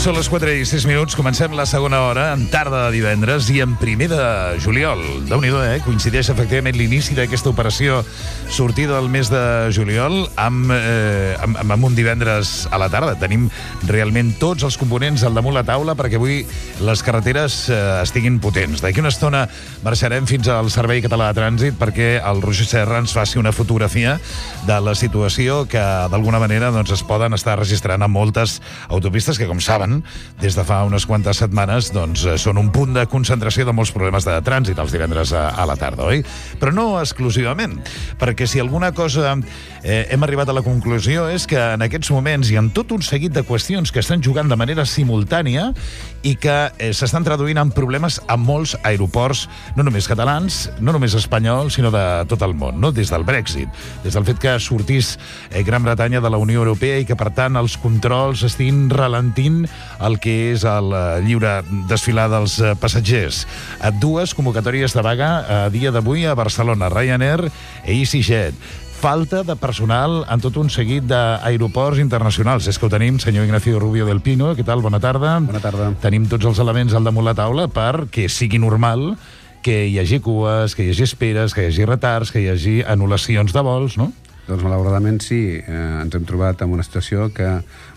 Són les 4:06, comencem la segona hora, en tarda de divendres i en primer de juliol. Déu-n'hi-do, coincideix efectivament l'inici d'aquesta operació sortida del mes de juliol amb un divendres a la tarda. Tenim realment tots els components al damunt la taula perquè avui les carreteres estiguin potents. D'aquí una estona marxarem fins al Servei Català de Trànsit perquè el Roger Serra ens faci una fotografia de la situació que d'alguna manera es poden estar registrant a moltes autopistes que, com saben, des de fa unes quantes setmanes són un punt de concentració de molts problemes de trànsit els divendres a la tarda, oi? Però no exclusivament, perquè si alguna cosa hem arribat a la conclusió és que en aquests moments hi ha tot un seguit de qüestions que estan jugant de manera simultània i que s'estan traduint en problemes a molts aeroports, no només catalans, no només espanyols, sinó de tot el món, no? Des del Brexit, des del fet que sortís Gran Bretanya de la Unió Europea i que, per tant, els controls estiguin ralentint el que és el lliure desfilar dels passatgers. Dues convocatòries de vaga a dia d'avui a Barcelona, Ryanair i EasyJet. Falta de personal en tot un seguit d'aeroports internacionals. És que ho tenim, senyor Ignacio Rubio del Pino. Què tal? Bona tarda. Bona tarda. Tenim tots els elements al damunt la taula perquè sigui normal que hi hagi cues, que hi hagi esperes, que hi hagi retards, que hi hagi anul·lacions de vols, no? Doncs malauradament sí, ens hem trobat en una situació que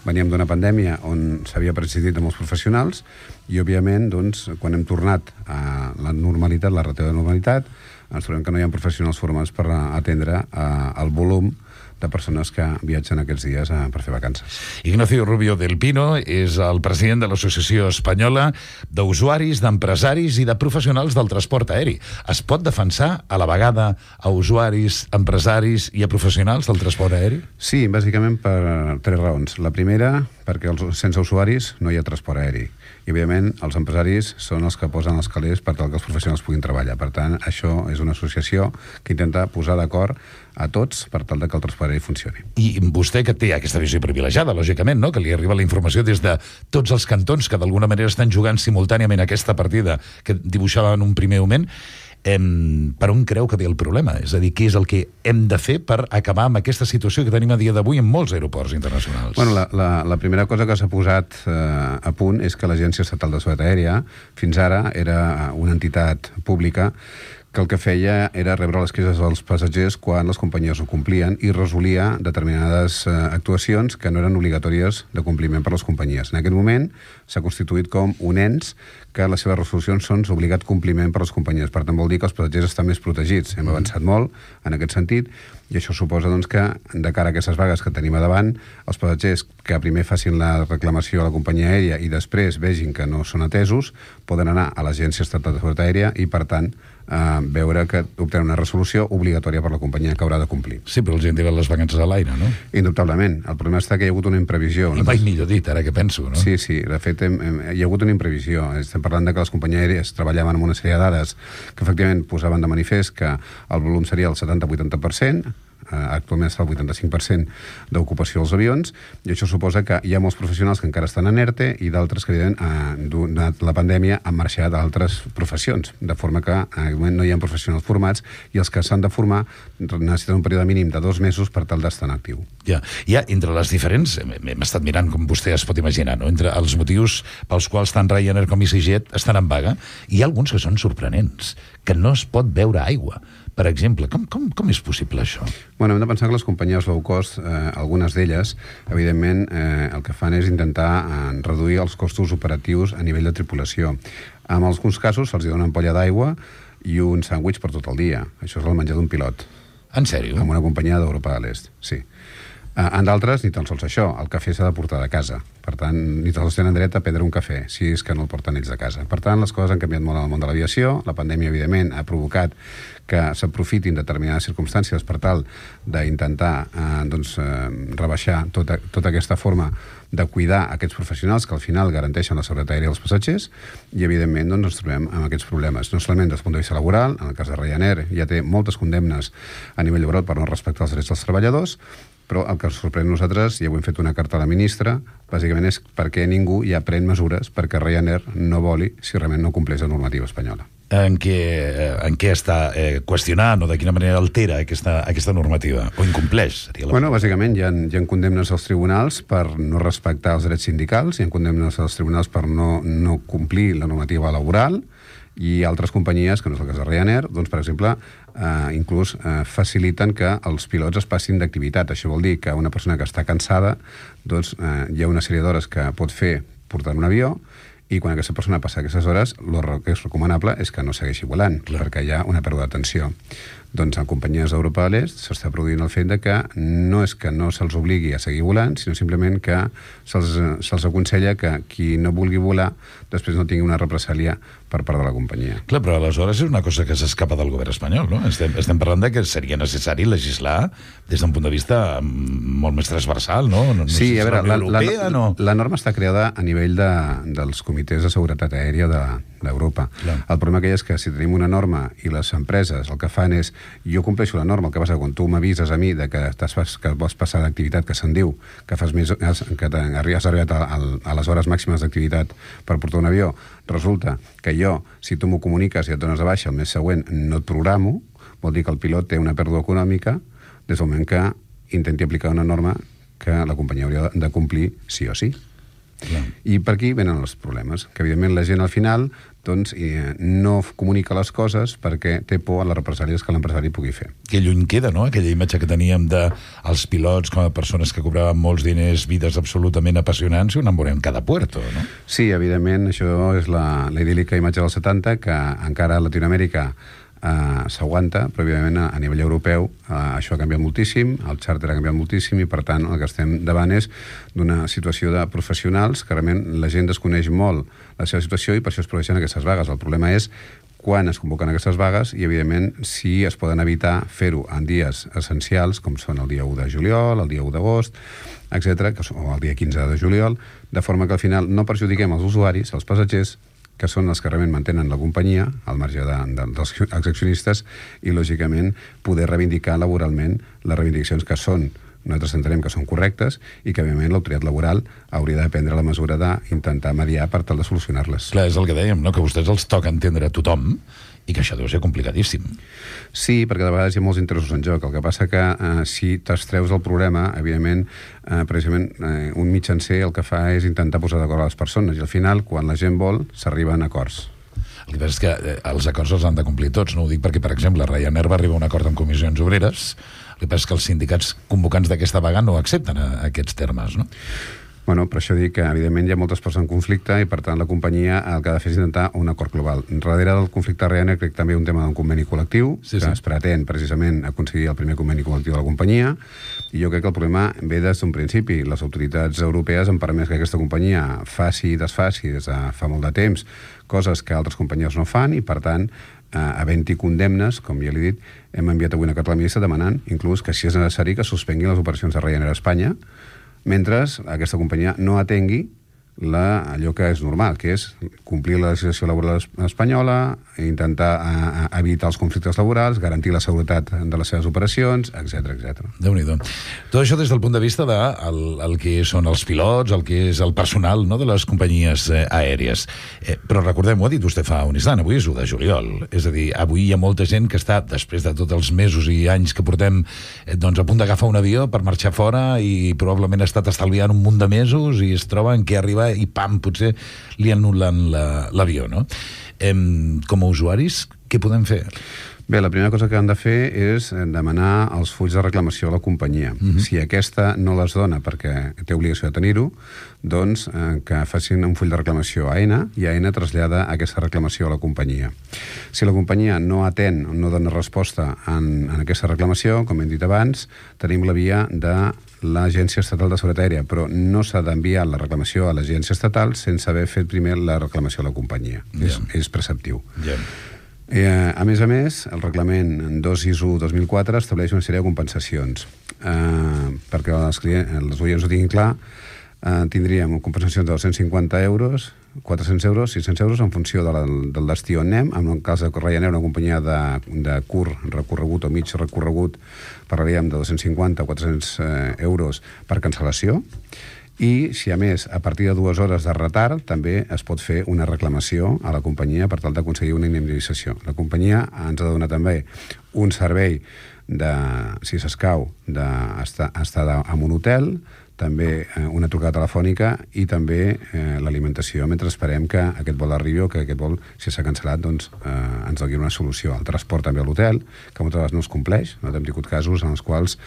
veníem d'una pandèmia on s'havia prescindit de molts professionals i, òbviament, quan hem tornat a la normalitat, la relativa normalitat, ens trobem que no hi ha professionals formats per atendre el volum de persones que viatgen aquests dies per fer vacances. Ignacio Rubio del Pino és el president de l'Associació Espanyola d'Usuaris, d'Empresaris i de Professionals del Transport Aeri. Es pot defensar a la vegada a usuaris, empresaris i a professionals del transport aeri? Sí, bàsicament per tres raons. La primera, perquè sense usuaris no hi ha transport aeri. I, òbviament, els empresaris són els que posen els calés per tal que els professionals puguin treballar. Per tant, això és una associació que intenta posar d'acord a tots per tal que el transport aeri funcioni. I vostè, que té aquesta visió privilegiada, lògicament, no? Que li arriba la informació des de tots els cantons que d'alguna manera estan jugant simultàniament aquesta partida que dibuixava en un primer moment, per on creu que ve el problema? És a dir, què és el que hem de fer per acabar amb aquesta situació que tenim a dia d'avui en molts aeroports internacionals? Bueno, la primera cosa que s'ha posat a punt és que l'Agència Estatal de Seguretat Aèria fins ara era una entitat pública que el que feia era rebre les queixes dels passatgers quan les companyies ho complien i resolia determinades actuacions que no eren obligatòries de compliment per les companyies. En aquest moment s'ha constituït com un ens que les seves resolucions són d'obligat compliment per les companyies. Per tant, vol dir que els passatgers estan més protegits. Hem avançat molt en aquest sentit i això suposa que, de cara a aquestes vagues que tenim a davant, els passatgers que primer facin la reclamació a la companyia aèria i després vegin que no són atesos, poden anar a l'Agència Estatal de Seguretat Aèria i, per tant, veure que obtenen una resolució obligatòria per la companyia que haurà de complir. Sí, però els hi han tirat les vacances a l'aire, no? Indubtablement. El problema està que hi ha hagut una imprevisió. I mai millor dit, ara que penso, no? Sí. De fet, hi ha hagut una imprevisió. Estem parlant de que les companyies aèries treballaven amb una sèrie de dades que efectivament posaven de manifest que el volum seria el 70-80%, actualment està el 85% d'ocupació dels avions, i això suposa que hi ha molts professionals que encara estan en ERTE i d'altres que, evidentment, donat la pandèmia, han marxat a altres professions, de forma que en aquest moment no hi ha professionals formats i els que s'han de formar necessiten un període mínim de 2 mesos per tal d'estar en actiu. Ja, entre les diferents, hem estat mirant, com vostè es pot imaginar, no? Entre els motius pels quals tant Ryanair com EasyJet estan en vaga, hi ha alguns que són sorprenents, que no es pot beure aigua. Per exemple, com és possible això? Bueno, hem de pensar que les companyies low cost, algunes d'elles, evidentment, el que fan és intentar reduir els costos operatius a nivell de tripulació. En alguns casos se'ls dona una ampolla d'aigua i un sàndwich per tot el dia. Això és el menjar d'un pilot. En sèrio? Amb una companyia d'Europa de l'Est, sí. En d'altres, ni tan sols això, el cafè s'ha de portar de casa. Per tant, ni tan sols tenen dret a prendre un cafè, si és que no el porten ells de casa. Per tant, les coses han canviat molt en el món de l'aviació. La pandèmia, evidentment, ha provocat que s'aprofitin determinades circumstàncies per tal d'intentar rebaixar tota aquesta forma de cuidar aquests professionals que al final garanteixen la seguretat aèria dels passatgers i, evidentment, ens trobem amb aquests problemes. No solament des del punt de vista laboral, en el cas de Ryanair ja té moltes condemnes a nivell laboral per no respectar els drets dels treballadors, però el que ens sorprèn a nosaltres, i avui hem fet una carta a la ministra, bàsicament és perquè ningú ja pren mesures perquè Ryanair no voli si realment no compleix la normativa espanyola. en què està qüestionant o de quina manera altera aquesta normativa, o incompleix, seria Bueno, bàsicament hi ha condemnes als tribunals per no respectar els drets sindicals, hi ha condemnes als tribunals per no complir la normativa laboral, i altres companyies, que no és el cas de Ryanair, doncs, per exemple, inclús faciliten que els pilots es passin d'activitat. Això vol dir que una persona que està cansada, doncs hi ha una sèrie d'hores que pot fer portant un avió, i quan aquesta persona passa aquestes hores, el que és recomanable és que no segueixi volant, perquè hi ha una pèrdua d'atenció. Doncs en companyies d'Europa de l'Est s'està produint el fet de que no és que no se'ls obligui a seguir volant, sinó simplement que se'ls aconsella que qui no vulgui volar després no tingui una represàlia per part de la companyia. Clar, però aleshores és una cosa que s'escapa del govern espanyol, no? Estem parlant de que seria necessari legislar des d'un punt de vista molt més transversal, no? Sí, a veure, la norma està creada a nivell dels comitès de seguretat aèria d'Europa. El problema que hi és que si tenim una norma i les empreses el que fan és jo compleixo la norma, el que passa quan tu m'avises a mi de que vols passar d'activitat, que se'n diu, que has arribat a les hores màximes d'activitat per portar un avió, resulta que jo, si tu m'ho comuniques i et dones de baixa el mes següent, no et programo, vol dir que el pilot té una pèrdua econòmica des del moment que intenti aplicar una norma que la companyia hauria de complir sí o sí. I per aquí venen els problemes, que evidentment la gent al final doncs, no comunica les coses perquè té por a les represàlies que l'empresari pugui fer. Que lluny queda, no?, aquella imatge que teníem dels pilots com a persones que cobraven molts diners, vides absolutament apassionants, i ho enamorem cada puerto, no? Sí, evidentment, això és la idíl·lica imatge dels 70, que encara a Latinoamèrica s'aguanta, però evidentment a nivell europeu això ha canviat moltíssim, el xàrter ha canviat moltíssim, i per tant el que estem davant és d'una situació de professionals que realment la gent desconeix molt la seva situació i per això es produeixen aquestes vagues. El problema és quan es convoquen aquestes vagues i, evidentment, si es poden evitar fer-ho en dies essencials, com són el dia 1 de juliol, el dia 1 d'agost, etc., o el dia 15 de juliol, de forma que al final no perjudiquem els usuaris, els passatgers, que són els que realment mantenen la companyia, al marge dels accionistes, i, lògicament, poder reivindicar laboralment les reivindicacions que són, nosaltres entenem que són correctes, i que, òbviament, l'autoritat laboral hauria de prendre la mesura d'intentar mediar per tal de solucionar-les. Clar, és el que dèiem, no?, que a vostès els toca entendre a tothom, i que això deu ser complicadíssim. Sí, perquè de vegades hi ha molts interessos en joc. El que passa que si t'extreus del problema, evidentment, precisament un mitjancer el que fa és intentar posar d'acord a les persones, i al final, quan la gent vol, s'arriben a acords. El que passa és que els acords els han de complir tots, no? Ho dic perquè, per exemple, Ryanair va arribar a un acord amb comissions obreres, el que passa és que els sindicats convocants d'aquesta vaga no accepten aquests termes, no? Bueno, per això dic que, evidentment, hi ha moltes parts en conflicte i, per tant, la companyia el que ha de fer és intentar un acord global. Darrere del conflicte Ryanair crec també un tema d'un conveni col·lectiu, que es pretén precisament aconseguir el primer conveni col·lectiu de la companyia, i jo crec que el problema ve des d'un principi. Les autoritats europees han permès que aquesta companyia faci i desfaci des de fa molt de temps coses que altres companyies no fan, i, per tant, havent-hi condemnes, com ja l'he dit, hem enviat avui una carta a la ministra demanant, inclús, que si és necessari que suspenguin les operacions de Ryanair a Espanya, mentre aquesta companyia no atengui allò que és normal, que és complir la legislació laboral espanyola, intentar evitar els conflictes laborals, garantir la seguretat de les seves operacions, etc. Déu-n'hi-do. Tot això des del punt de vista del que són els pilots, el que és el personal, no?, de les companyies aèries. Però recordem, ho ha dit vostè fa un instant, avui és 1 de juliol. És a dir, avui hi ha molta gent que està, després de tots els mesos i anys que portem, doncs a punt d'agafar un avió per marxar fora, i probablement ha estat estalviant un munt de mesos i es troba en què arriba i pam, potser li anul·len l'avió, no? Com a usuaris, què podem fer? Bé, la primera cosa que han de fer és demanar els fulls de reclamació a la companyia. Si aquesta no les dona perquè té obligació de tenir-ho, doncs que facin un full de reclamació a AENA, i AENA trasllada aquesta reclamació a la companyia. Si la companyia no atén, no dona resposta en aquesta reclamació, com hem dit abans, tenim la via de l'Agència Estatal de Seguretat Aèria, però no s'ha d'enviar la reclamació a l'Agència Estatal sense haver fet primer la reclamació a la companyia. És preceptiu. A més, el reglament 2 ISO 2004 estableix una sèrie de compensacions. Perquè els oients ho tinguin clar, tindríem compensacions de 250 euros, 400 euros, 600 euros, en funció del destí on anem. En el cas de Ryanair, una companyia de curt recorregut o mig recorregut, parlaríem de 250 o 400 euros per cancel·lació. I, si a més, a partir de 2 hores de retard, també es pot fer una reclamació a la companyia per tal d'aconseguir una indemnització. La companyia ens ha de donar també un servei de, si s'escau, d'estar en un hotel, també una trucada telefònica i també l'alimentació mentre esperem que aquest vol arribi o que aquest vol, si s'ha cancel·lat, doncs ens doni una solució. El transport també a l'hotel, que moltes vegades no es compleix. Nosaltres hem tingut casos en els quals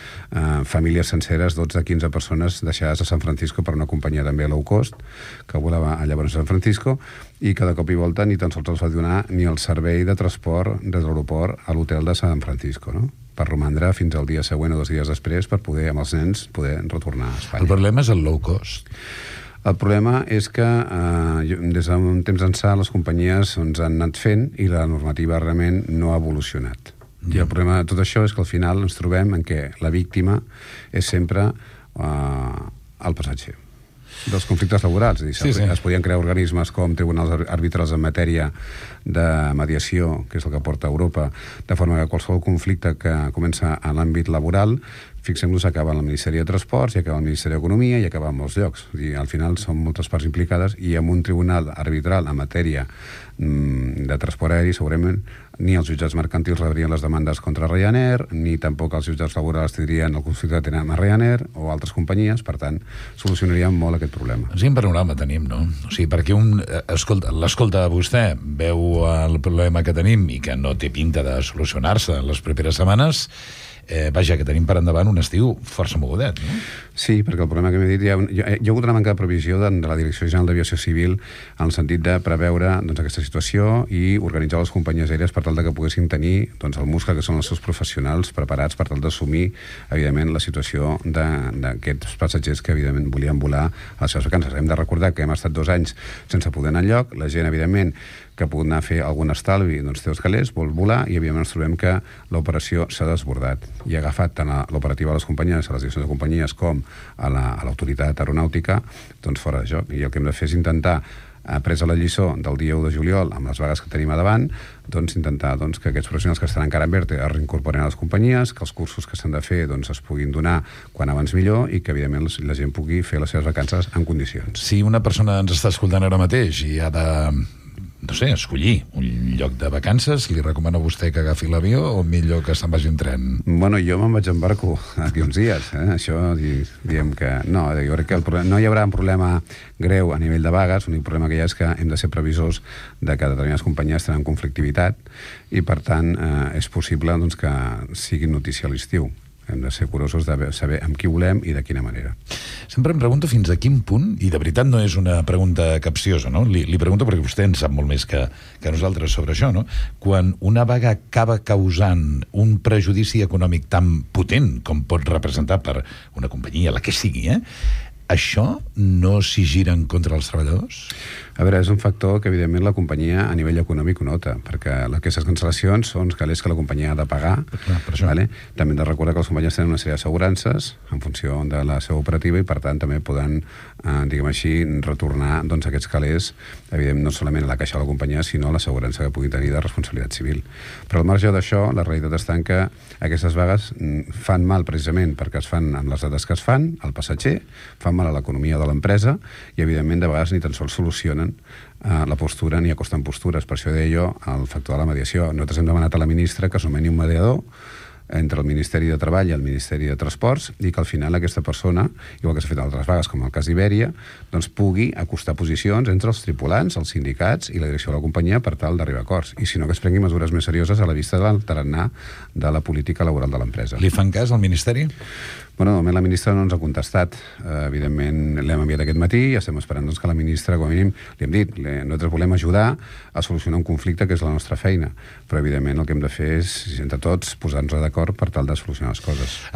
famílies senceres, 12-15 persones deixades a San Francisco per una companyia també low cost, que volava llavors a San Francisco, i que de cop i volta ni tan sols els va donar ni el servei de transport des de l'aeroport a l'hotel de San Francisco, no? Per romandre fins al dia següent o 2 dies després per poder, amb els nens, poder retornar a Espanya. El problema és el low cost. El problema és que des d'un temps ençà les companyies ens han anat fent i la normativa realment no ha evolucionat. I el problema de tot això és que al final ens trobem en què la víctima és sempre el passatger dels conflictes laborals. És a dir, es podien crear organismes com tribunals arbitrals en matèria de mediació, que és el que porta Europa, de forma que qualsevol conflicte que comença en l'àmbit laboral, fixem-nos, acaba en el Ministeri de Transports i acaba en el Ministeri d'Economia i acaba en molts llocs. I al final són moltes parts implicades i amb un tribunal arbitral en matèria de transport aeri segurament ni els jutjats mercantils rebrien les demandes contra Ryanair, ni tampoc els jutjats laborals tindrien el conflicte que tenen amb Ryanair o altres companyies, per tant, solucionaríem molt aquest problema. Quin panorama tenim, no? O sigui, perquè l'escolta vostè, veu el problema que tenim i que no té pinta de solucionar-se en les properes setmanes, vaja, que tenim per endavant un estiu força mogudet, no? Sí, perquè el problema que m'he dit, hi ha hagut una manca de previsió de la Direcció General d'Aviació Civil en el sentit de preveure aquesta situació i organitzar les companyies aèries per tal que poguessin tenir el muscle que són els seus professionals preparats per tal d'assumir, evidentment, la situació d'aquests passatgers que, evidentment, volien volar a les seves vacances. Hem de recordar que hem estat 2 anys sense poder anar enlloc, la gent, evidentment, que ha pogut anar a fer algun estalvi, doncs té els calés, vol volar, i evidentment ens trobem que l'operació s'ha desbordat. I ha agafat tant l'operativa de les companyies, a les direccions de companyies, com a l'autoritat aeronàutica, doncs fora de joc. I el que hem de fer és intentar, presa la lliçó del dia 1 de juliol, amb les vagues que tenim a davant, doncs intentar que aquests professionals que estan encara en ERTE es reincorporen a les companyies, que els cursos que s'han de fer es puguin donar quan abans millor i que, evidentment, la gent pugui fer les seves vacances en condicions. Si una persona ens està escoltant ara mateix i ha de, no sé, escollir un lloc de vacances, li recomano a vostè que agafi l'avió o millor que se'n vagi en tren? Bueno, jo me'n vaig en barco aquí uns dies. Això, diem que no, jo crec que no hi haurà un problema greu a nivell de vagues, l'únic problema que hi ha és que hem de ser previsors de que determinades companyies tenen conflictivitat i, per tant, és possible que sigui notícia a l'estiu. Hem de ser curosos de saber amb qui volem i de quina manera. Sempre em pregunto fins a quin punt, i de veritat no és una pregunta capciosa, no? Li pregunto perquè vostè en sap molt més que nosaltres sobre això, no? Quan una vaga acaba causant un prejudici econòmic tan potent com pot representar per una companyia, la que sigui, això no s'hi gira en contra dels treballadors? A veure, és un factor que, evidentment, la companyia a nivell econòmic ho nota, perquè aquestes cancel·lacions són calés que la companyia ha de pagar. Vale? També hem de recordar que les companyies tenen una sèrie d'assegurances en funció de la seva operativa i, per tant, també poden, diguem així, retornar aquests calés, evidentment, no solament a la caixa de la companyia, sinó a l'assegurança que pugui tenir de responsabilitat civil. Però al marge d'això, la realitat està en que aquestes vagues fan mal precisament perquè es fan amb les dates que es fan, al passatger, fan mal a l'economia de l'empresa i, evidentment, de vegades ni tan sols solucionen la postura ni acosten postures. Per això deia jo el factor de la mediació. Nosaltres hem demanat a la ministra que es nomeni un mediador entre el Ministeri de Treball i el Ministeri de Transports i que al final aquesta persona, igual que s'ha fet en altres vagues com el cas d'Ibèria, doncs pugui acostar posicions entre els tripulants, els sindicats i la direcció de la companyia per tal d'arribar a acords. I si no, que es prengui mesures més serioses a la vista del tarannà de la política laboral de l'empresa. Li fan cas al Ministeri? Bueno, de moment la ministra no ens ha contestat. Evidentment, l'hem enviat aquest matí i estem esperant que la ministra, com a mínim, li hem dit, nosaltres volem ajudar a solucionar un conflicte que és la nostra feina. Però, evidentment, el que hem de fer és, entre tots, posar-nos d'acord per tal de solucionar les coses.